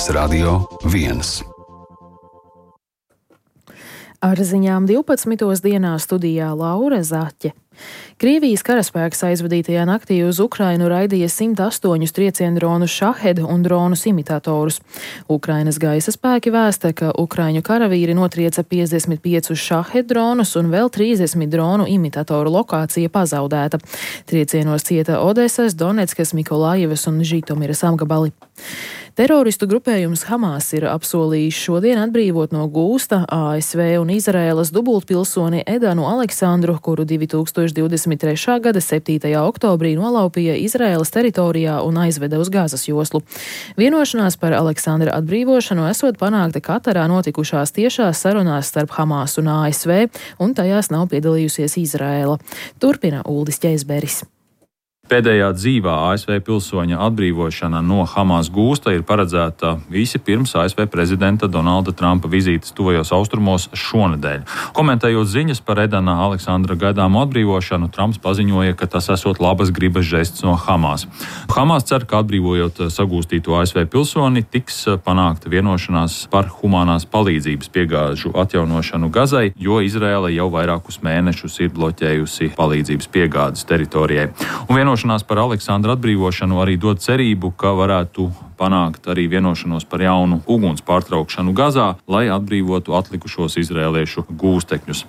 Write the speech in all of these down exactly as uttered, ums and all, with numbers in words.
Radio viens. Ar ziņām divpadsmitos dienā studijā Laura Zaķe. Krievijas karaspēks aizvadītajā naktī uz Ukrainu raidīja simt astoņus trieciendronus Šahed un dronus imitatorus. Ukrainas gaisa spēki vēsta, ka ukraiņu karavīri notrieca piecdesmit piecus Šahed dronus un vēl trīsdesmit dronu imitatoru lokācija pazaudēta. Triecienos cieta Odesas, Donetskas, Mikolājevas un Žitomiras apgabali. Teroristu grupējums Hamas ir apsolījis šodien atbrīvot no gūsta A S V un Izraēlas dubultpilsoni Edanu Aleksandru, kuru divi tūkstoši divdesmit trešā gada septītajā oktobrī nolaupīja Izraēlas teritorijā un aizveda uz Gazas joslu. Vienošanās par Aleksandra atbrīvošanu esot panākta Katarā notikušās tiešās sarunās starp Hamas un A S V, un tajās nav piedalījusies Izraēla. Turpina Uldis Ķeizberis. Pēdējā dzīvā A S V pilsoņa atbrīvošana no Hamas gūsta ir paredzēta visi pirms A S V prezidenta Donalda Trumpa vizītes tuvajos austrumos šonedēļ. Komentējot ziņas par Edana Aleksandra gaidāmo atbrīvošanu, Trumps paziņoja, ka tas esot labas gribas žests no Hamas. Hamas cer, ka atbrīvojot sagūstīto A S V pilsoni, tiks panākta vienošanās par humanās palīdzības piegāžu atjaunošanu Gazai, jo Izraēla jau vairākus mēnešus ir bloķējusi palīdzības piegādes teritorijai. Un vienošanās par Aleksandra atbrīvošanu arī dod cerību, ka varētu panākt arī vienošanos par jaunu uguns pārtraukšanu Gazā, lai atbrīvotu atlikušos izrēliešu gūstekņus.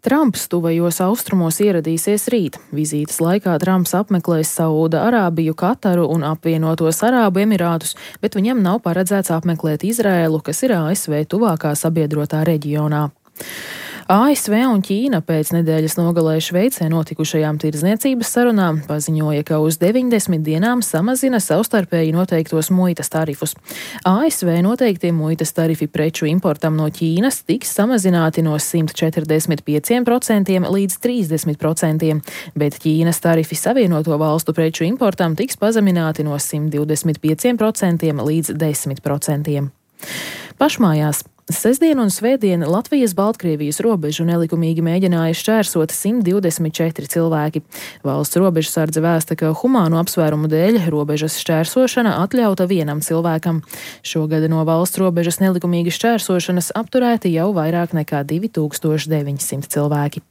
Trumps tuvajos austrumos ieradīsies rīt. Vizītes laikā Trumps apmeklēs Sauda Arābiju, Kataru un apvienotos Arābu Emirātus, bet viņam nav paredzēts apmeklēt Izraēlu, kas ir A S V tuvākā sabiedrotā reģionā. A S V un Ķīna pēc nedēļas nogalē Šveicē notikušajām tirdzniecības sarunām paziņoja, ka uz deviņdesmit dienām samazina savstarpēji noteiktos muitas tarifus. A S V noteiktie muitas tarifi preču importam no Ķīnas tiks samazināti no simt četrdesmit pieciem procentiem līdz trīsdesmit procentiem, bet Ķīnas tarifi Savienoto valstu preču importam tiks pazemināti no simt divdesmit pieciem procentiem līdz desmit procentiem. Pašmājās. Sestdien un svētdien Latvijas-Baltkrievijas robežu nelikumīgi mēģināja šķērsot simt divdesmit četri cilvēki. Valsts robežsardze vēsta, ka humānu apsvērumu dēļ robežas šķērsošana atļauta vienam cilvēkam. Šogad no valsts robežas nelikumīgi šķērsošanas apturēti jau vairāk nekā divi tūkstoši deviņsimt cilvēki.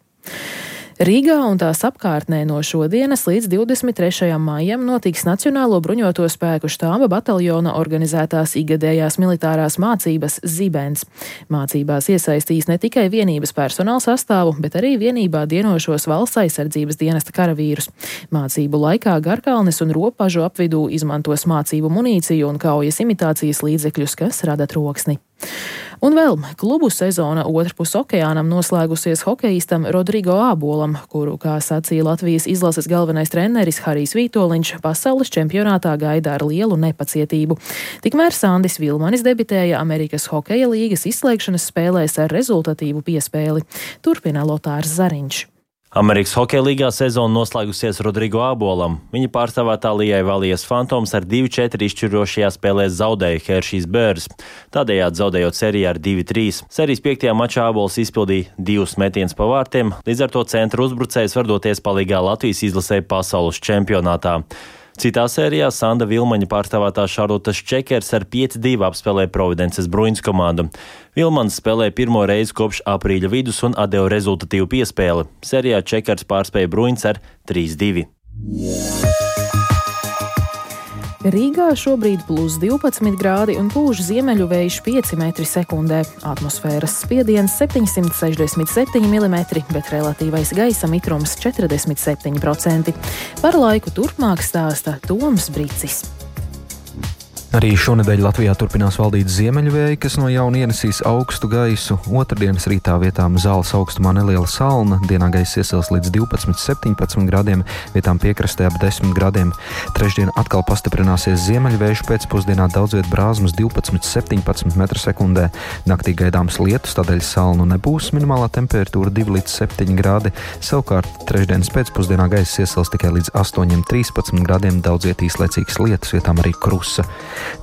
Rīgā un tās apkārtnē no šodienas līdz divdesmit trešajam maijam notiks Nacionālo bruņoto spēku štāba bataljona organizētās ikgadējās militārās mācības Zibens. Mācībās iesaistīs ne tikai vienības personāla sastāvu, bet arī vienībā dienošos valsts aizsardzības dienesta karavīrus. Mācību laikā Garkalnes un Ropažu apvidū izmantos mācību munīciju un kaujas imitācijas līdzekļus, kas rada troksni. Un vēl klubu sezona otrpus okeānam noslēgusies hokejistam Rodrigo Ābolam, kuru, kā sacīja Latvijas izlases galvenais treneris Harijs Vītoliņš, pasaules čempionātā gaida ar lielu nepacietību. Tikmēr Sandis Vilmanis debitēja Amerikas hokeja līgas izslēgšanas spēlēs ar rezultatīvu piespēli. Turpina Lotārs Zariņš. Amerikas hokeja līgā sezona noslēgusies Rodrigo Ābolam. Viņa pārstāvētā Lijai Valijas Fantoms ar divi četri izšķirošajā spēlē zaudēja Hershey's Bears, tādējādi zaudējot sēriju ar divi trīs. Sērijas piektajā mačā Ābols izpildīja divus metienus pa vārtiem, līdz ar to centra uzbrucējs var doties palīgā Latvijas izlasē pasaules čempionātā. Citā sērijā Sanda Vilmaņa pārstāvētā Šarlotas Čekers ar pieci divi apspēlēja Providences Bruins komandu. Vilmans spēlēja pirmo reizi kopš aprīļa vidus un atdeva rezultatīvu piespēli. Sērijā Čekers pārspēja Bruins ar trīs divi. Rīgā šobrīd plus divpadsmit grādi un pūš ziemeļu vējš pieci metri sekundē. Atmosfēras spiediens septiņsimt sešdesmit septiņi milimetri, bet relatīvais gaisa mitrums četrdesmit septiņi procenti. Par laiku turpmāk stāsta Toms Bricis. Arī šonedēļ Latvijā turpinās valdīt ziemeļvēji, kas no jauna ienesīs augstu gaisu. Otrdienas rītā vietām Zāles augstumā neliela salna, dienā gaiss iesils līdz divpadsmit septiņpadsmit grādiem, vietām piekrastē ap desmit grādiem. Trešdien atkal pastiprināsies ziemeļvējš, pēcpusdienā daudz viet brāzmas divpadsmit septiņpadsmit metru sekundē. Naktī gaidāms lietus, tādēļ salnu nebūs, minimālā temperatūra divi līdz septiņi grādi. Savukārt trešdienas pēcpusdienā gaiss iesils tikai līdz astoņi trīspadsmit grādiem, daudz viet īslaicīgs lietus, vietām arī krusa.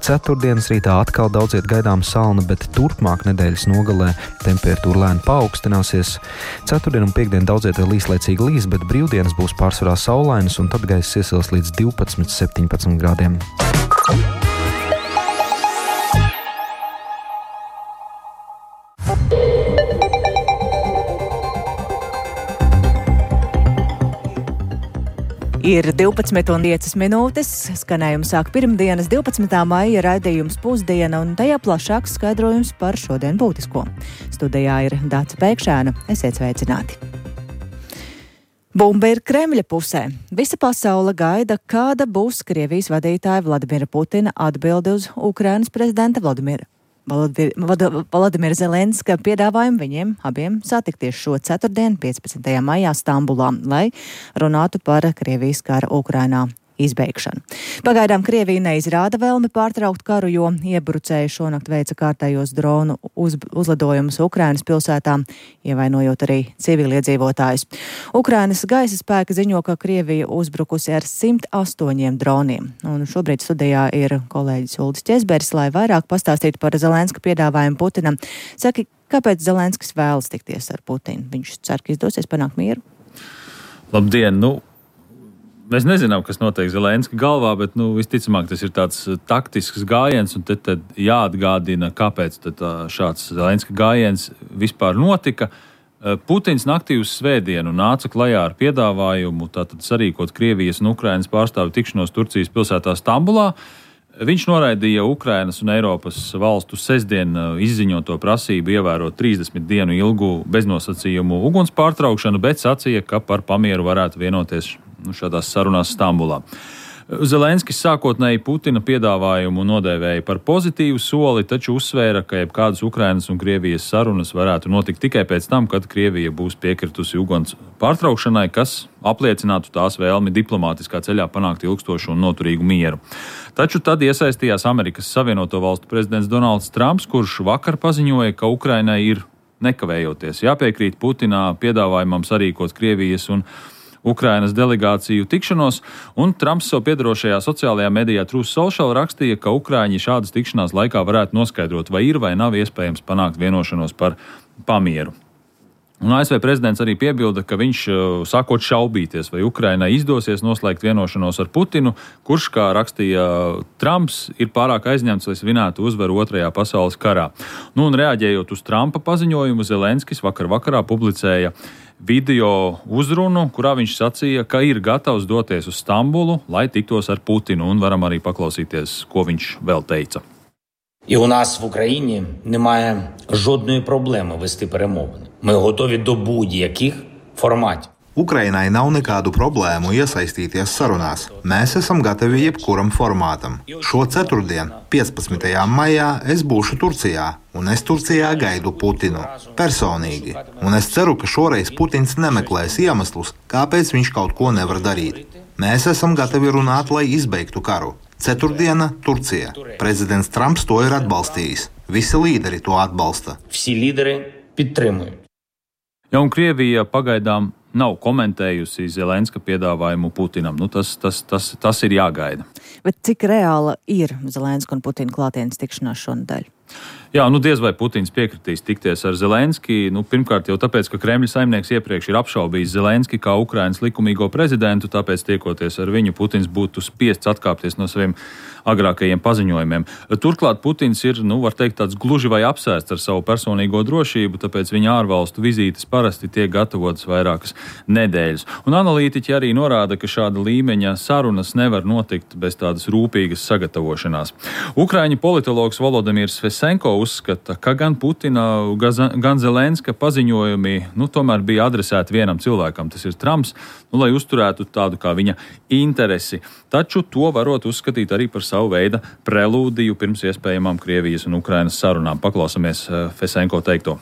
Ceturtdienas rītā atkal daudz viet gaidām salna, bet turpmāk nedēļas nogalē temperatūra lēni paaugstināsies. Ceturtdien un piekdien daudz viet vēl īslaicīgi līs, bet brīvdienas būs pārsvarā saulainas un tad gaiss iesils līdz divpadsmit septiņpadsmit grādiem. Ir divpadsmit un piecas minūtes, skanējums sāk pirmdienas divpadsmitā maija raidījums Pusdiena un tajā plašāks skaidrojums par šodien būtisko. Studijā ir Dāca Pēkšēna, esiet sveicināti. Bumba ir Kremļa pusē. Visa pasaule gaida, kāda būs Krievijas vadītāja Vladimira Putina atbilde uz Ukrainas prezidenta Vladimira. Vladimira Zelenska piedāvājumu viņiem abiem satikties šo ceturtdienu, piecpadsmitajā maijā Stambulā, lai runātu par Krievijas kara Ukrainā izbeigšanu. Pagaidām Krievija neizrāda vēlmi pārtraukt karu, jo iebrucēji šonakt veica kārtējos dronu uz, uzlidojumus Ukrainas pilsētām, ievainojot arī civiliedzīvotājus. Ukrainas gaisa spēki ziņo, ka Krievija uzbrukusi ar simt astoņiem droniem. Un šobrīd studijā ir kolēģis Uldis Ķezberis, lai vairāk pastāstītu par Zelenska piedāvājumu Putinam. Saki, kāpēc Zelenskis vēlas tikties ar Putinu? Viņš cer, ka izdosies panākt mieru? Labdien! Nu, mēs nezinām, kas notiek Zelenska galvā, bet nu, visticamāk tas ir tāds taktisks gājiens, un tad, tad jāatgādina, kāpēc tad šāds Zelenska gājiens vispār notika. Putins naktī uz svētdienu nāca klajā ar piedāvājumu tātad sarīkot Krievijas un Ukrainas pārstāvju tikšanos Turcijas pilsētā Stambulā. Viņš noraidīja Ukrainas un Eiropas valstu sestdien izziņoto prasību ievērot trīsdesmit dienu ilgu beznosacījumu uguns pārtraukšanu, bet sacīja, ka par pamieru varētu vienoties šādās sarunās Stambulā. Zelenskis sākotnēji Putina piedāvājumu nodēvēja par pozitīvu soli, taču uzsvēra, ka jebkādas Ukrainas un Krievijas sarunas varētu notikt tikai pēc tam, kad Krievija būs piekritusi uguns pārtraukšanai, kas apliecinātu tās vēlmi diplomātiskā ceļā panākt ilgstošu un noturīgu mieru. Taču tad iesaistījās Amerikas Savienoto Valstu prezidents Donalds Trumps, kurš vakar paziņoja, ka Ukrainai ir nekavējoties jāpiekrīt Putina piedāvājumam sarīkot Krievijas un Ukrainas delegāciju tikšanos, un Trumps savu piedarošajā sociālajā medijā Truth Social rakstīja, ka Ukraiņi šādas tikšanās laikā varētu noskaidrot, vai ir vai nav iespējams panākt vienošanos par pamieru. Un A S V prezidents arī piebilda, ka viņš sākot šaubīties, vai Ukrainai izdosies noslēgt vienošanos ar Putinu, kurš, kā rakstīja Trumps, ir pārāk aizņemts, lai svinētu uzvaru otrajā pasaules karā. Nu, un reaģējot uz Trumpa paziņojumu, Zelenskis vakar vakarā publicēja video uzrunu, kurā viņš sacīja, ka ir gatavs doties uz Stambulu, lai tiktos ar Putinu, un varam arī paklausīties, ko viņš vēl teica. І у нас в Україні немає жодної проблеми вести перемовини. Ми готові до будь-яких форматів. Ukrainai nav nekādu problēmu iesaistīties sarunās. Mēs esam gatavi jebkuram formātam. Šo ceturtdienu, piecpadsmitajā maijā, es būšu Turcijā, un es Turcijā gaidu Putinu personīgi. Un es ceru, ka šoreiz Putins nemeklēs iemeslus, kāpēc viņš kaut ko nevar darīt. Mēs esam gatavi runāt, lai izbeigtu karu. Ceturtdiena, Turcija. Prezidents Trumps to ir atbalstījis. Visi līderi to atbalsta. Всі лідери підтримують. Ja, un Krievija pagaidām nav komentējusi Zelenska piedāvājumu Putinam. Nu, tas, tas, tas, tas ir jāgaida. Bet cik reāla ir Zelenska un Putina klātienes tikšanās šonadēļ? Jā, nu diez vai Putins piekritīs tikties ar Zelenski. Nu, pirmkārt jau tāpēc, ka Kremļa saimnieks iepriekš ir apšaubījis Zelenski kā Ukrainas likumīgo prezidentu, tāpēc tiekoties ar viņu Putins būtu spiests atkāpties no saviem agrākajiem paziņojumiem. Turklāt Putins ir, nu, var teikt, tāds gluži vai apsēsts ar savu personīgo drošību, tāpēc viņa ārvalstu vizītes parasti tiek gatavotas vairākas nedēļas. Un analītiķi arī norāda, ka šāda līmeņa sarunas nevar notikt bez tādas rūpīgas sagatavošanās. Ukraiņu politologs Volodimirs Fesenko uzskata, ka gan Putina, gan Zelenska paziņojumi, nu, tomēr bija adresēti vienam cilvēkam, tas ir Trumps, nu, lai uzturētu tādu kā viņa interesi. Taču to varot uzskatīt arī par savu veidu prelūdiju pirms iespējamām Krievijas un Ukrainas sarunām. Paklausamies Fesenko teikto.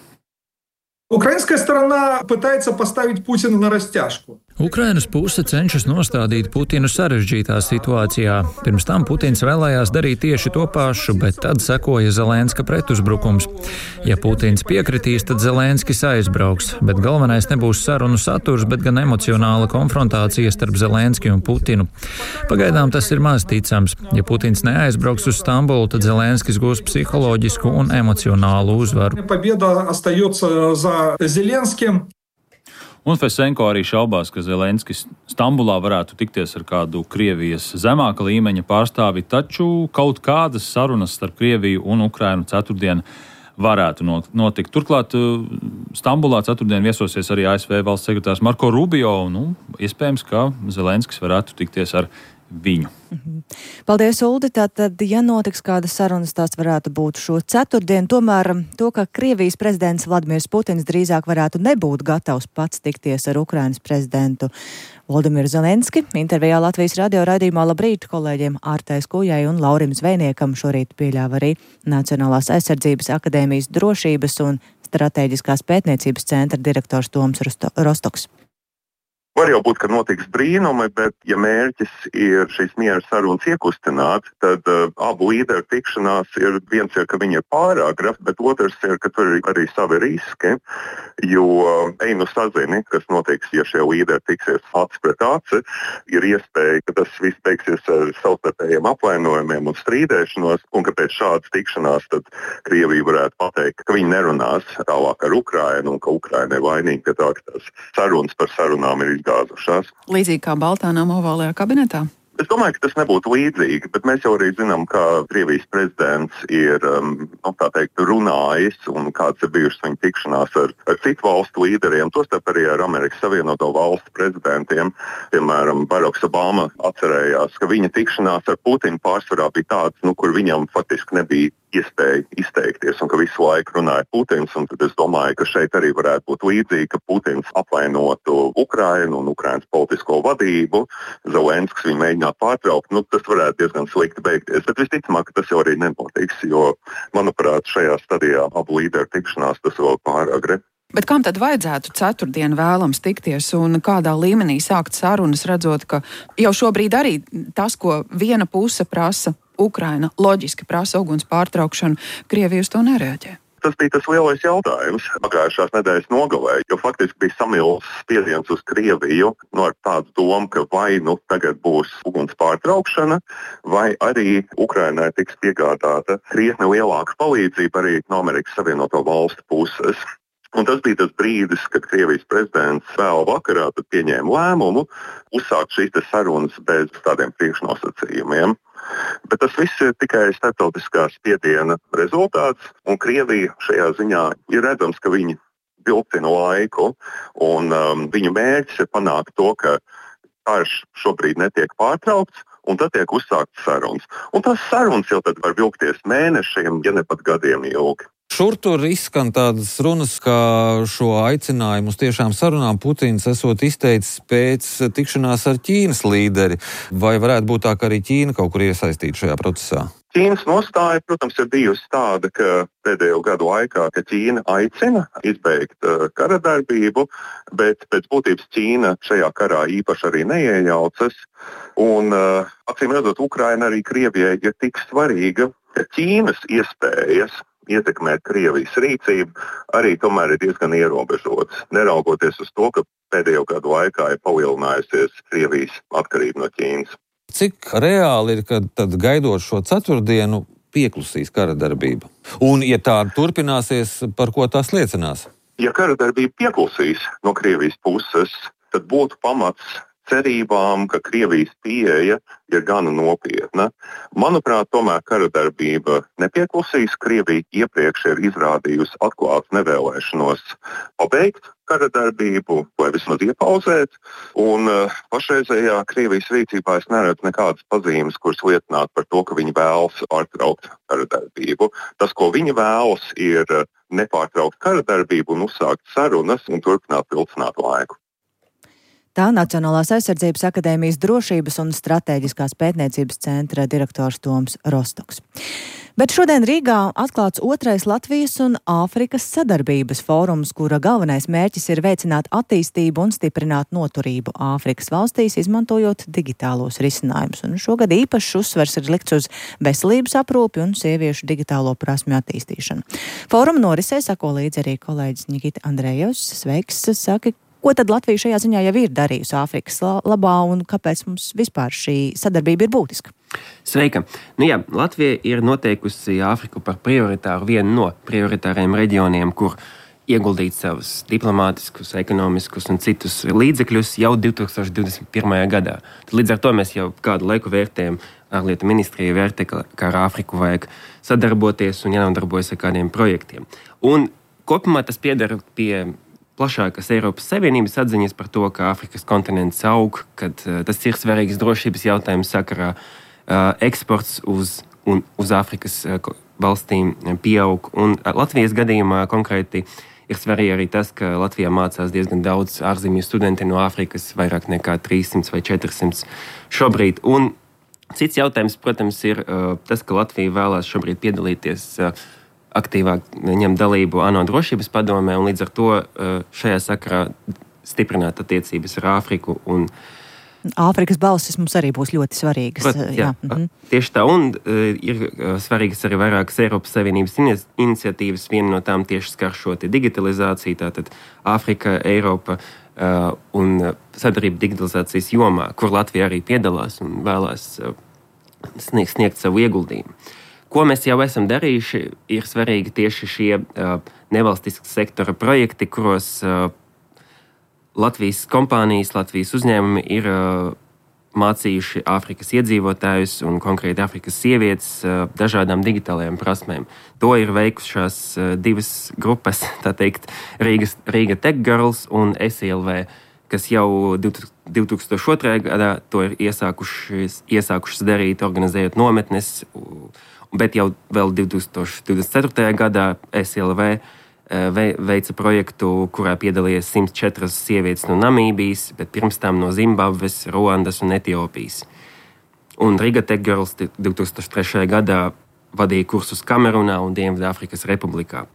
Украинская сторона пытается поставить Путина на растяжку. Ukrainas puse cenšas nostādīt Putinu sarežģītā situācijā. Pirms tam Putins vēlējās darīt tieši to pašu, bet tad sekoja Zelenska pretuzbrukums. Ja Putins piekritīs, tad Zelenskis aizbrauks, bet galvenais nebūs sarunu saturs, bet gan emocionāla konfrontācija starp Zelenski un Putinu. Pagaidām tas ir maz ticams. Ja Putins neaizbrauks uz Stambulu, tad Zelenskis gūs psiholoģisku un emocionālu uzvaru. Победа остается за Зеленским. Un Fesenko arī šaubās, ka Zelenskis Stambulā varētu tikties ar kādu Krievijas zemāka līmeņa pārstāvi, taču kaut kādas sarunas starp Krieviju un Ukrainu ceturtdien varētu notikt. Turklāt Stambulā ceturtdien viesosies arī A S V valsts sekretārs Marko Rubio, un nu, iespējams, ka Zelenskis varētu tikties ar viņu. Paldies, Uldi. Tātad, ja notiks kādas sarunas, tās varētu būt šo ceturtdienu. Tomēr to, ka Krievijas prezidents Vladimirs Putins drīzāk varētu nebūt gatavs pats tikties ar Ukrainas prezidentu Volodimiru Zelenski, intervijā Latvijas radio raidījumā Labrīt kolēģiem Ārtai Skujai un Laurim Zvejniekam šorīt pieļāva arī Nacionālās aizsardzības akadēmijas drošības un stratēģiskās pētniecības centra direktors Toms Rostoks. Var jau būt, ka notiks brīnumi, bet ja mērķis ir šīs miera sarunas iekustināt, tad uh, abu līderu tikšanās ir viens, ir, ka viņi ir pārāgra, bet otrs ir, ka tur ir arī savi riski, jo uh, ej nu sazini, kas notiks, ja šie līderi tiksies acis pret aci, ir iespēja, ka tas viss beigsies ar savstarpējiem apvainojumiem un strīdēšanos, un ka pēc šādas tikšanās tad Krievija varētu pateikt, ka viņi nerunās tālāk ar Ukrainu un ka Ukraina ir vainīga, ka tā, ka tās sarunas par sarunām ir gāzušās. Līdzīgi kā Baltānām ovālajā kabinetā? Es domāju, ka tas nebūtu līdzīgi, bet mēs jau arī zinām, ka Krievijas prezidents ir um, tā teikt, runājis un kāds ir bijušas viņa tikšanās ar, ar citu valstu līderiem, tostarp arī ar Amerikas Savienoto valstu prezidentiem. Piemēram, Baraks Obama atcerējās, ka viņa tikšanās ar Putinu pārsvarā bija tāds, nu, kur viņam faktiski nebija iespēja izteikties un ka visu laiku runāja Putins. Un tad es domāju, ka šeit arī varētu būt līdzīgi, ka Putins apvainotu Ukrainu un Ukrainas politisko vadību. Zelenskis viņu mēģinātu pārtraukt. Nu, tas varētu diezgan slikti beigties. Bet visticamāk, ka tas jau arī nenotiks, jo, manuprāt, šajā stadijā abu līderu tikšanās tas vēl pāragri. Bet kam tad vajadzētu ceturtdien vēlams tikties un kādā līmenī sākt sarunas, redzot, ka jau šobrīd arī tas, ko viena puse prasa, Ukraina loģiski prasa uguns pārtraukšanu, Krievija uz to nereaģē? Tas bija tas lielais jautājums pagājušās nedēļas nogalē, jo faktiski bija samilzis spiediens uz Krieviju no ar tādu domu, ka vai nu tagad būs uguns pārtraukšana, vai arī Ukrainai tiks piegādāta krietni lielāka palīdzība arī no Amerikas Savienoto valstu puses. Un tas bija tas brīdis, kad Krievijas prezidents vēl vakarā pieņēma lēmumu uzsākt šīs sarunas bez tādiem priekšnosacījumiem. Bet tas viss ir tikai starptautiskā spiediena rezultāts, un Krievija šajā ziņā ir redzams, ka viņi vilcina laiku, un um, viņu mērķis ir panākt to, ka karš šobrīd netiek pārtraukts, un tad tiek uzsākts sarunas. Un tās sarunas jau tad var vilkties mēnešiem, ja ne pat gadiem ilgi. Šur tur izskan tādas runas, ka šo aicinājumu uz tiešām sarunām Putins esot izteicis pēc tikšanās ar Ķīnas līderi. Vai varētu būt tā, ka arī Ķīna kaut kur iesaistīta šajā procesā? Ķīnas nostāja, protams, ir bijusi tāda, ka pēdējo gadu laikā, ka Ķīna aicina izbeigt uh, kara darbību, bet pēc būtības Ķīna šajā karā īpaši arī neiejaucas. Un, uh, acīm redzot, Ukraina arī Krievijai ir tik svarīga, ka Ķīnas iespējas ietekmēt Krievijas rīcību arī tomēr ir diezgan ierobežotas, neraugoties uz to, ka pēdējo gadu laikā ir palielinājusies Krievijas atkarība no Ķīnas. Cik reāli ir, ka tad gaidot šo ceturtdienu pieklusīs kara darbība? Un, ja tā turpināsies, par ko tās liecinās? Ja kara darbība pieklusīs no Krievijas puses, tad būtu pamats cerībām, ka Krievijas pieeja ir gana nopietna. Manuprāt, tomēr kara darbība nepieklusīs. Krievija iepriekš ir izrādījusi atklātu nevēlēšanos pabeigt kara darbību vai vismaz iepauzēt. Un uh, pašreizējā Krievijas rīcībā es neredzu nekādas pazīmes, kuras liecinātu par to, ka viņi vēlas pārtraukt kara darbību. Tas, ko viņi vēlas, ir nepārtraukt kara darbību un uzsākt sarunas un turpināt vilcināt laiku. Tā Nacionālās aizsardzības akadēmijas drošības un stratēģiskās pētniecības centra direktors Toms Rostoks. Bet šodien Rīgā atklāts otrais Latvijas un Āfrikas sadarbības fórums, kura galvenais mērķis ir veicināt attīstību un stiprināt noturību Āfrikas valstīs, izmantojot digitālos risinājumus. Un šogad īpašs uzsvers ir likts uz veselības aprūpi un sieviešu digitālo prasmju attīstīšanu. Fóruma norisē sako līdzi arī kolēģis Nikita Andrejevs. Sveiks, saki, ko tad Latvija šajā ziņā jau ir darījusi Āfrikas labā un kāpēc mums vispār šī sadarbība ir būtiska? Sveika! Nu jā, Latvija ir noteikusi Āfriku par prioritāru, vienu no prioritāriem reģioniem, kur ieguldīt savus diplomātiskus, ekonomiskus un citus līdzekļus jau divtūkstoš divdesmit pirmajā gadā. Tad līdz ar to mēs jau kādu laiku vērtējam, ārlietu ministrija vērtē, ka ar Āfriku vajag sadarboties un jānodarbojas ar kādiem projektiem. Un kopumā tas piedara pie plašākas Eiropas Savienības atziņas par to, ka Āfrikas kontinents aug, kad uh, tas ir svarīgs drošības jautājums sakarā, uh, eksports uz, un, uz Āfrikas uh, valstīm pieaug. Un uh, Latvijas gadījumā konkrēti ir svarīgi arī tas, ka Latvijā mācās diezgan daudz ārzemju studenti no Āfrikas, vairāk nekā trīssimts vai četrsimts šobrīd. Un cits jautājums, protams, ir uh, tas, ka Latvija vēlās šobrīd piedalīties uh, aktīvāk ņem dalību ANO drošības padomē, un līdz ar to uh, šajā sakarā stiprināt attiecības ar Āfriku. Un Āfrikas balsis mums arī būs ļoti svarīgas. Prot, jā, jā. Mhm. Tieši tā, un uh, ir uh, svarīgas arī vairākas Eiropas Savienības iniciatīvas. Viena no tām tieši skar šo digitalizāciju, tātad Āfrika, Eiropa uh, un sadarbība digitalizācijas jomā, kur Latvija arī piedalās un vēlās uh, sniegt, sniegt savu ieguldījumu. Ko mēs jau esam darījuši, ir svarīgi tieši šie uh, nevalstiskā sektora projekti, kuros uh, Latvijas kompānijas, Latvijas uzņēmumi ir uh, mācījuši Āfrikas iedzīvotājus un konkrēti Āfrikas sievietes uh, dažādām digitālajām prasmēm. To ir veikušās uh, divas grupas, tā teikt, Rīgas, Riga Tech Girls un S I L V, kas jau divtūkstoš otrajā gadā to ir iesākušas, iesākušas darīt, organizējot nometnes, bet jau vēl divtūkstoš divdesmit ceturtajā gadā S I L V veica projektu, kurā piedalījās simts četras sievietes no Namībijas, bet pirms tam no Zimbabves, Ruandas un Etiopijas. Un Riga Tech Girls divtūkstoš trešajā gadā vadīja kursus Kamerunā un Dienvidāfrikas Republikā.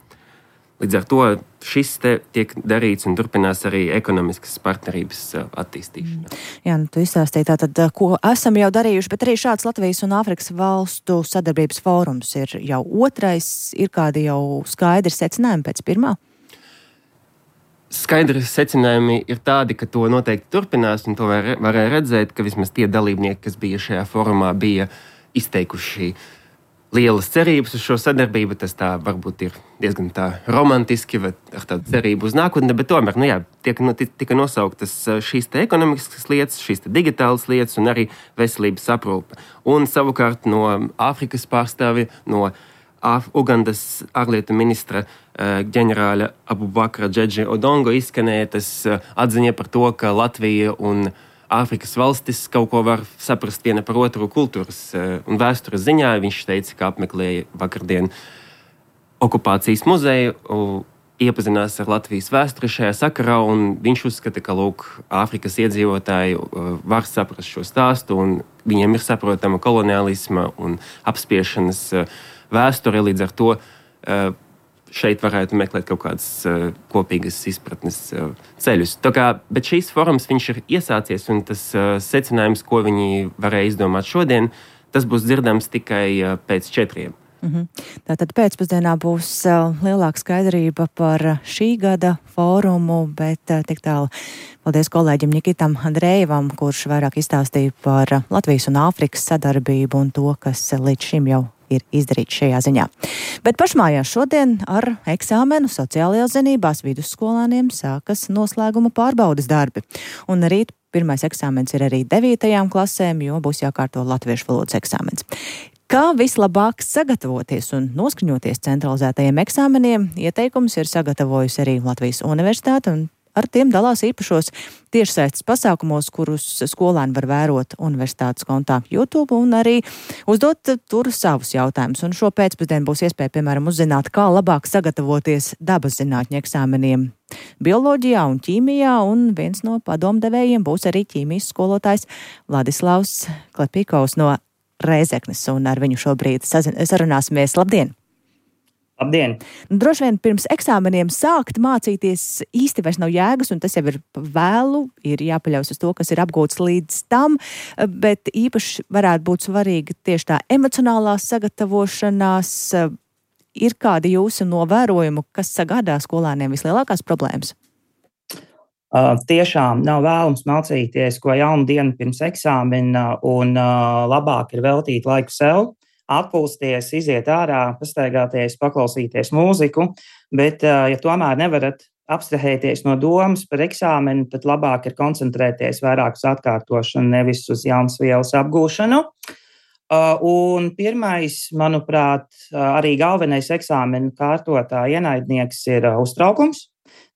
Līdz ar to šis te tiek darīts un turpinās arī ekonomiskas partnerības attīstīšana. Jā, nu tu izstāstīji tātad, ko esam jau darījuši, bet arī šāds Latvijas un Āfrikas valstu sadarbības fórums ir jau otrais. Ir kādi jau skaidri secinājumi pēc pirmā? Skaidri secinājumi ir tādi, ka to noteikti turpinās, un to var, varēja redzēt, ka vismaz tie dalībnieki, kas bija šajā fórumā, bija izteikuši lielas cerības uz šo sadarbību. Tas tā varbūt ir diezgan tā romantiski, vai ar tādu cerību uz nākotni, bet tomēr, nu jā, tiek, nu, tika nosauktas šīs te ekonomiskas lietas, šīs te digitālas lietas un arī veselības aprūpe. Un savukārt no Āfrikas pārstāvi, no Af- Ugandas ārlietu ministra uh, ģenerāļa Abubakra Džedži Odongo izskanēja tas uh, atziņa par to, ka Latvija un Āfrikas valstis kaut ko var saprast viena par otru kultūras un vēstures ziņā. Viņš teica, ka apmeklēja vakardien okupācijas muzeju, iepazinās ar Latvijas vēsturi šajā sakarā, un viņš uzskata, ka lūk, Āfrikas iedzīvotāji var saprast šo stāstu, un viņiem ir saprotama koloniālisma un apspiešanas vēsture. Līdz ar to šeit varētu meklēt kaut kādas uh, kopīgas izpratnes uh, ceļus. Tā kā, bet šīs forums viņš ir iesācies, un tas uh, secinājums, ko viņi varēja izdomāt šodien, tas būs dzirdams tikai uh, pēc četriem. Mm-hmm. Tātad pēcpusdienā būs uh, lielāka skaidrība par šī gada fórumu, bet uh, tik tālu paldies kolēģim Nikitam Andrejevam, kurš vairāk izstāstīja par uh, Latvijas un Āfrikas sadarbību un to, kas uh, līdz šim jau ir izdarīts šajā ziņā. Bet pašmājās šodien ar eksāmenu sociālajās zinībās vidusskolāniem sākas noslēguma pārbaudes darbi. Un rīt pirmais eksāmens ir arī devītajām klasēm, jo būs jākārto latviešu valodas eksāmens. Kā vislabāk sagatavoties un noskaņoties centralizētajiem eksāmeniem, ieteikums ir sagatavojusi arī Latvijas Universitāte, un ar tiem dalās īpašos tiešsaistes pasākumos, kurus skolēni var vērot universitātes kontā YouTube un arī uzdot tur savus jautājumus. Un šo pēcpusdienu būs iespēja, piemēram, uzzināt, kā labāk sagatavoties dabas zinātņu eksāmeniem bioloģijā un ķīmijā, un viens no padomdevējiem būs arī ķīmijas skolotājs Vladislavs Klepīkovs no Rēzeknes, un ar viņu šobrīd sarunāsimies. Labdien! Labdien! Droši vien pirms eksāmeniem sākt mācīties īsti vairs nav jēgas, un tas jau ir vēlu, ir jāpaļaus uz to, kas ir apgūts līdz tam, bet īpaši varētu būt svarīga tieši tā emocionālā sagatavošanās. Ir kādi jūsu novērojumi, kas sagādā skolēniem vislielākās problēmas? Uh, tiešām nav vēlams mācīties ko jaunu dienu pirms eksāmena, un uh, labāk ir veltīt laiku sev, atpūsties, iziet ārā, pastaigāties, paklausīties mūziku, bet, ja tomēr nevarat abstrahēties no domas par eksāmenu, tad labāk ir koncentrēties vairāk uz atkārtošanu, nevis uz jaunas vielas apgūšanu. Un pirmais, manuprāt, arī galvenais eksāmenu kārtotāja ienaidnieks ir uztraukums.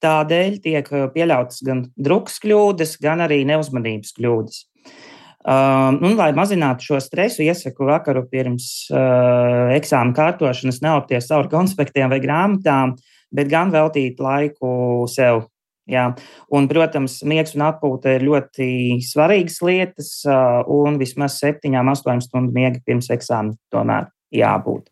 Tādēļ tiek pieļautas gan drukas kļūdas, gan arī neuzmanības kļūdas. Um, un, lai mazinātu šo stresu, iesaku vakaru pirms uh, eksāmena kārtošanas neopties cauri konspektiem vai grāmatām, bet gan veltīt laiku sev. Jā. Un, protams, miegs un atpūta ir ļoti svarīgas lietas, uh, un vismaz septiņām, astoņām stundu miega pirms eksāmena tomēr jābūt.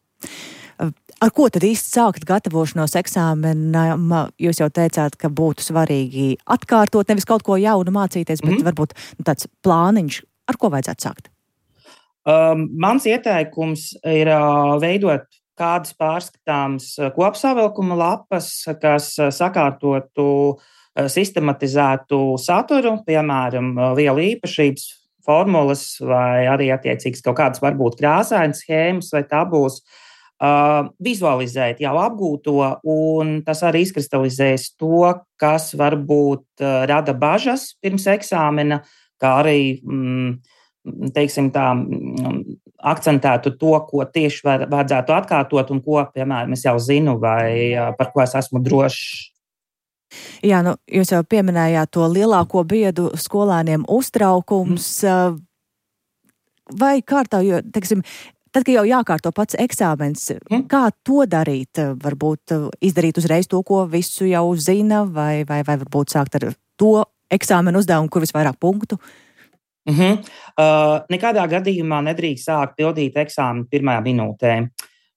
Ar ko tad īsti sākt gatavošanos eksāmenam? Jūs jau teicāt, ka būtu svarīgi atkārtot, nevis kaut ko jaunu mācīties, bet mm-hmm. varbūt tāds plāniņš. Ar ko vajadzētu sākt? Um, mans ieteikums ir uh, veidot kādas pārskatāmas kopsavilkuma lapas, kas sakārtotu, uh, sistematizētu saturu, piemēram, vielu īpašības, formulas vai arī attiecīgas kaut kādas varbūt krāsainas schēmas vai tabulas. Uh, vizualizēt jau apgūto, un tas arī izkristalizēs to, kas varbūt uh, rada bažas pirms eksāmena, kā arī, mm, teiksim tā, mm, akcentētu to, ko tieši var, vajadzētu atkārtot un ko, piemēram, es jau zinu vai par ko es esmu drošs. Jā, nu, jūs jau pieminējāt to lielāko biedu skolēniem uztraukums. Mm. Vai kārtā, jo, teiksim, tad, kad jau jākārto pats eksāmens, mm. kā to darīt? Varbūt izdarīt uzreiz to, ko visu jau zina, vai, vai, vai varbūt sākt ar to eksāmenu uzdevumu, kur visvairāk punktu? Uh-huh. Uh, nekādā gadījumā nedrīkst sākt pildīt eksāmenu pirmajā minūtē.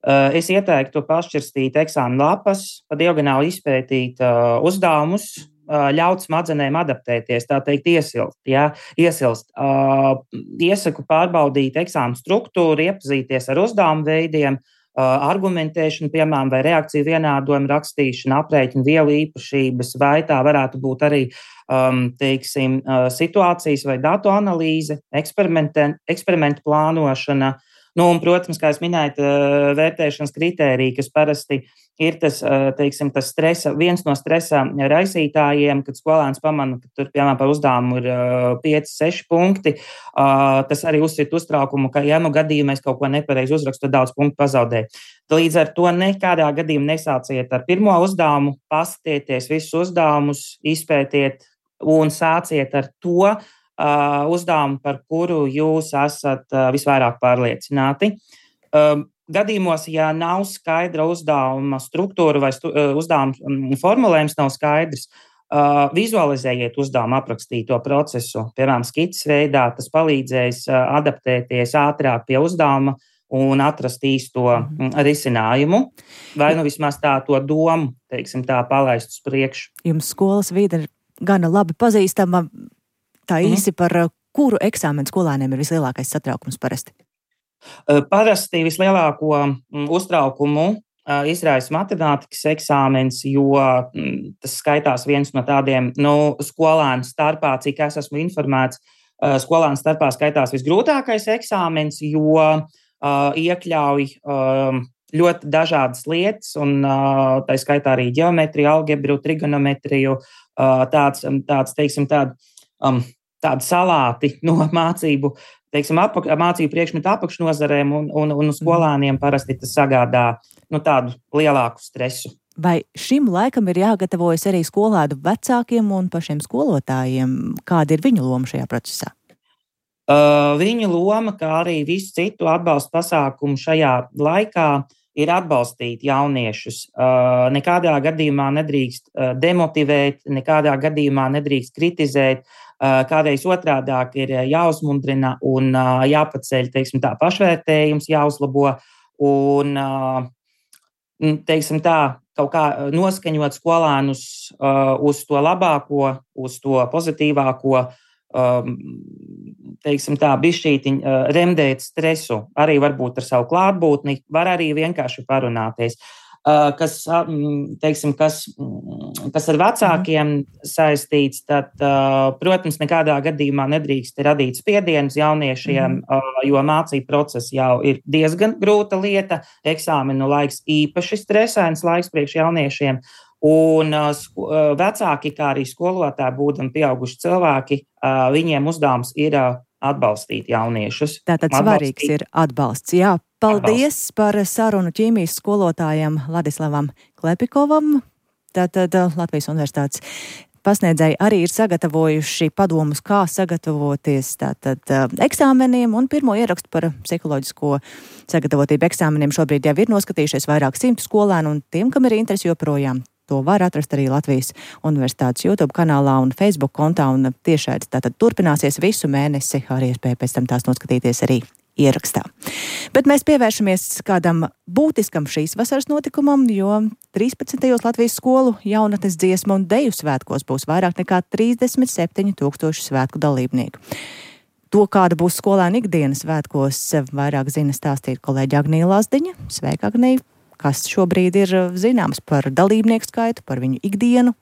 Uh, es ieteiktu pašķirstīt eksāmenu lapas, pa diagonāli izpētīt uh, uzdevumus, uh, ļaut smadzenēm adaptēties, tā teikt, iesilst. Ja? iesilst. Uh, iesaku pārbaudīt eksāmenu struktūru, iepazīties ar uzdevumu veidiem, argumentēšanu, piemēram, vai reakciju vienādojumu rakstīšanu, aprēķinu vielu īpašības, vai tā varētu būt arī, um, teiksim, situācijas vai datu analīze, eksperimentu plānošana. Nu, un, protams, kā es minēju, vērtēšanas kritērija, kas parasti ir tas, teiksim, tas stresa, viens no stresa raisītājiem, kad skolēns pamana, ka tur, piemēram, par uzdevumu ir pieci, seši punkti. Tas arī uzsver uztraukumu, ka, ja nu gadījumā es kaut ko nepareizi uzrakstu, tad daudz punktu pazaudēju. Līdz ar to nekādā gadījumā nesāciet ar pirmo uzdevumu, paskatieties visus uzdevumus, izpētiet un sāciet ar to uh, uzdevumu, par kuru jūs esat uh, visvairāk pārliecināti. Um, Gadījumos, ja nav skaidra uzdevuma struktūra vai stu, uzdevuma formulējums nav skaidrs, uh, vizualizējiet uzdevumu aprakstīto procesu, piemēram, skices veidā, tas palīdzēs uh, adaptēties ātrāk pie uzdevuma un atrast īsto mm, risinājumu, vai nu vismaz tā to domu, teiksim tā, palaist uz priekšu. Jums skolas vide ir gana labi pazīstama, tā īsi mm. par kuru eksāmenu skolēniem ir vislielākais satraukums parasti? Parasti vislielāko uztraukumu izraisa matemātikas eksāmens, jo tas skaitās viens no tādiem, nu, skolēnu starpā, cik es esmu informēts, skolēnu starpā skaitās visgrūtākais eksāmens, jo uh, iekļauj uh, ļoti dažādas lietas, un uh, tā skaitā arī ģeometriju, algebru, trigonometriju, uh, tāds, tāds, teiksim, tād, um, tādi salāti no mācību, teiksim, apak, mācību priekšmetu apakšnozarēm, un, un, un skolēniem parasti tas sagādā nu, tādu lielāku stresu. Vai šim laikam ir jāgatavojas arī skolēnu vecākiem un pašiem skolotājiem? Kāda ir viņu loma šajā procesā? Uh, viņu loma, kā arī visu citu atbalstu pasākumu šajā laikā, ir atbalstīt jauniešus. Uh, nekādā gadījumā nedrīkst uh, demotivēt, nekādā gadījumā nedrīkst kritizēt. Kādreiz otrādāk ir jāuzmundrina un jāpaceļ, teiksim tā, pašvērtējums, jāuzlabo un, teiksim tā, kaut kā noskaņot skolēnus uz to labāko, uz to pozitīvāko, teiksim tā, bišķītiņ remdēt stresu, arī varbūt ar savu klātbūtni, var arī vienkārši parunāties. Kas, teiksim, kas kas ar vecākiem saistīts, tad, protams, nekādā gadījumā nedrīkst radīt spiedienu uz jauniešiem, mm. jo mācību process jau ir diezgan grūta lieta, eksāmenu laiks īpaši stresains laiks priekš jauniešiem, un vecāki, kā arī skolotāji, būdami pieauguši cilvēki, viņiem uzdevums ir atbalstīt jauniešus. Tātad svarīgs atbalstīt. Ir atbalsts. Jā, paldies atbalsts. Par sarunu ķīmijas skolotājam Ladislavam Klepikovam. Tātad Latvijas Universitātes pasniedzēji arī ir sagatavojuši padomus, kā sagatavoties tātad eksāmeniem, un pirmo ierakstu par psiholoģisko sagatavotību eksāmeniem šobrīd jau ir noskatījušies vairāk simtu skolēnu, un tiem, kam ir interesi joprojām, to var atrast arī Latvijas Universitātes YouTube kanālā un Facebook kontā, un tiešādi tātad turpināsies visu mēnesi, arī iespēja pēc tam tās noskatīties arī ierakstā. Bet mēs pievēršamies kādam būtiskam šīs vasaras notikumam, jo trīspadsmitajos Latvijas skolu jaunatnes dziesmu un deju svētkos būs vairāk nekā trīsdesmit septiņi tūkstoši svētku dalībnieku. To, kāda būs skolēna ikdienas svētkos, vairāk zina stāstīt kolēģi Agnija Lazdiņa. Sveika, Agnija! Kas šobrīd ir zināms par dalībnieku skaitu, par viņu ikdienu?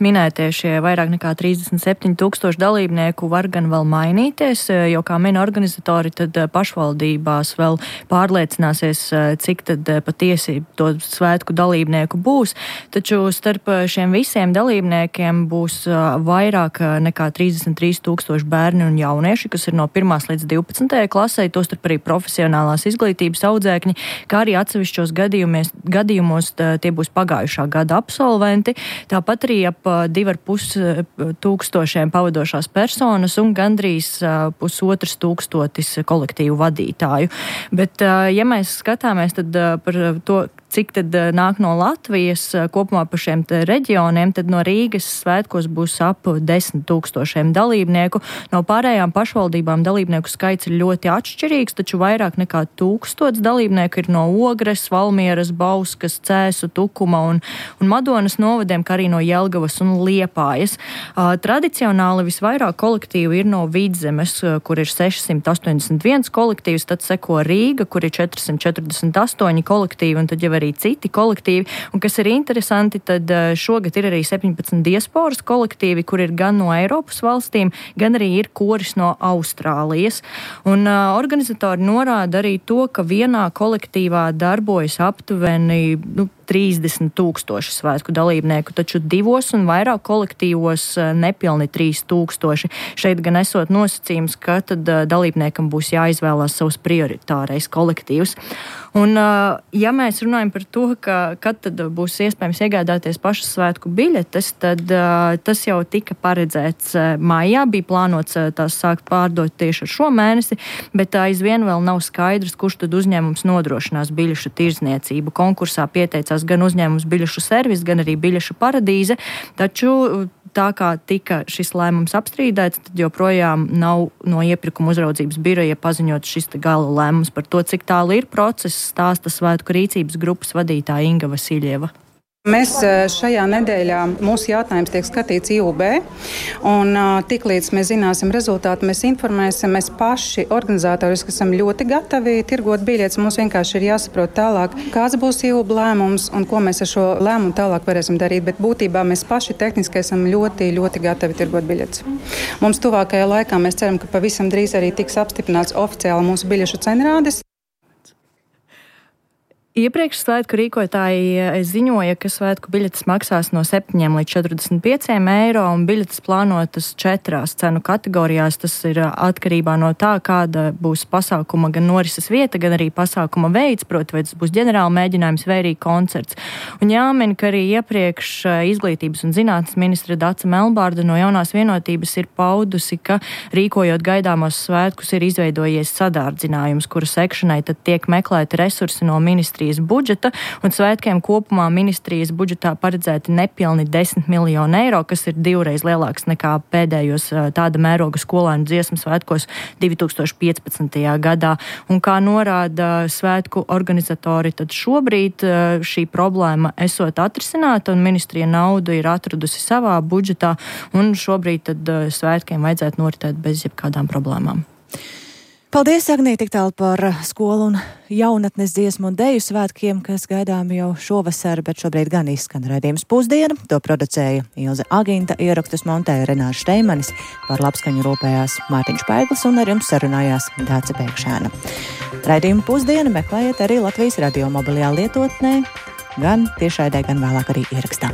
Minētie šie vairāk nekā trīsdesmit septiņi tūkstoši dalībnieku var gan vēl mainīties, jo, kā min organizatori, tad pašvaldībās vēl pārliecināsies, cik tad patiesi to svētku dalībnieku būs. Taču starp šiem visiem dalībniekiem būs vairāk nekā trīsdesmit trīs tūkstoši bērni un jaunieši, kas ir no pirmās līdz divpadsmitajai klasei, tostarp arī profesionālās izglītības audzēkņi, kā arī atsevišķos gadījumos tie būs pagājušā gada absolventi. Tāpat arī ap divi ar pus tūkstošiem pavadošās personas un gandrīz pusotras tūkstotis kolektīvu vadītāju. Bet, ja mēs skatāmies tad par to, cik tad nāk no Latvijas kopumā pa šiem reģioniem, tad no Rīgas svētkos būs ap desmit tūkstošiem dalībnieku. No pārējām pašvaldībām dalībnieku skaits ir ļoti atšķirīgs, taču vairāk nekā tūkstots dalībnieku ir no Ogres, Valmieras, Bauskas, Cēsu, Tukuma un, un Madonas novadiem, kā arī no Jelgavas un Liepājas. Uh, tradicionāli visvairāk kolektīvu ir no Vidzemes, kur ir sešsimt astoņdesmit viens kolektīvs, tad seko Rīga, kur ir četrsimt četrdesmit astoņi kolektīvi, un tad jau arī citi kolektīvi. Un kas ir interesanti, tad šogad ir arī septiņpadsmit diasporas kolektīvi, kur ir gan no Eiropas valstīm, gan arī ir koris no Austrālijas. Un uh, organizatori norāda arī to, ka vienā kolektīvā darbojas aptuveni nu, trīsdesmit tūkstoši svētku dalībnieku, taču divos un vairāk kolektīvos nepilni trīs tūkstoši. Šeit gan esot nosacījums, ka tad dalībniekam būs jāizvēlās savs prioritārais kolektīvs. Un, ja mēs runājam par to, ka kad tad būs iespējams iegādāties pašas svētku biļetes, tad tas jau tika paredzēts maijā, bija plānots tās sākt pārdot tieši ar šo mēnesi, bet aizvien vēl nav skaidrs, kurš tad uzņēmums nodrošinās biļešu tirdzniecību. Konkursā pieteicās gan uzņēmums Biļešu servis, gan arī Biļešu paradīze, taču tā kā tika šis lēmums apstrīdēts, tad joprojām nav no iepirkuma uzraudzības biroja paziņot šis gala lēmums par to, cik tālu ir process, stāsta Svētku rīcības grupas vadītāja Inga Vasiljeva. Mēs šajā nedēļā, mūsu jautājums tiek skatīts I U B, un tiklīdz mēs zināsim rezultātu, mēs informēsim, mēs paši organizatoriski esam ļoti gatavi tirgot biļetes, mums vienkārši ir jāsaprot tālāk, kāds būs I U B lēmums un ko mēs ar šo lēmumu tālāk varēsim darīt, bet būtībā mēs paši tehniski esam ļoti, ļoti gatavi tirgot biļetes. Mums tuvākajā laikā mēs ceram, ka pavisam drīz arī tiks apstiprināts oficiāli mūsu biļešu cenrādes. Iepriekš svētku rīkotāji ziņoja, ka svētku biļetes maksās no septiņiem līdz četrdesmit pieciem eiro, un biļetes plānotas četrās cenu kategorijās. Tas ir atkarībā no tā, kāda būs pasākuma gan norises vieta, gan arī pasākuma veids, proti, vai tas būs ģenerāla mēģinājums vai arī koncerts. Un jāmin, ka arī iepriekš izglītības un zinātnes ministre Dace Melbārda no Jaunās vienotības ir paudusi, ka rīkojot gaidāmos svētkus ir izveidojies sadārdzinājums, kura sekšanai tad tiek meklēti resursi no ministrijas budžeta, un svētkiem kopumā ministrijas budžetā paredzēti nepilni desmit miljoni eiro, kas ir divreiz lielāks nekā pēdējos tāda mēroga skolēnu dziesmu svētkos divi tūkstoši piecpadsmitajā gadā. Un kā norāda svētku organizatori, tad šobrīd šī problēma esot atrisināta, un ministrija naudu ir atradusi savā budžetā, un šobrīd tad svētkiem vajadzētu noritēt bez jebkādām problēmām. Paldies, Agnī, tik tālu par skolu un jaunatnes dziesmu un deju svētkiem, kas gaidām jau šovasar, bet šobrīd gan izskan raidījums Pusdiena. To producēja Ilze Aginta, ierakstus montēja Renārs Šteimanis, par labskaņu rūpējās Mārtiņš Paiglis un ar jums sarunājās Dāce Pēkšēna. Raidījumu Pusdiena meklējiet arī Latvijas radio mobilajā lietotnē, gan tiešraidē, gan vēlāk arī ierakstā.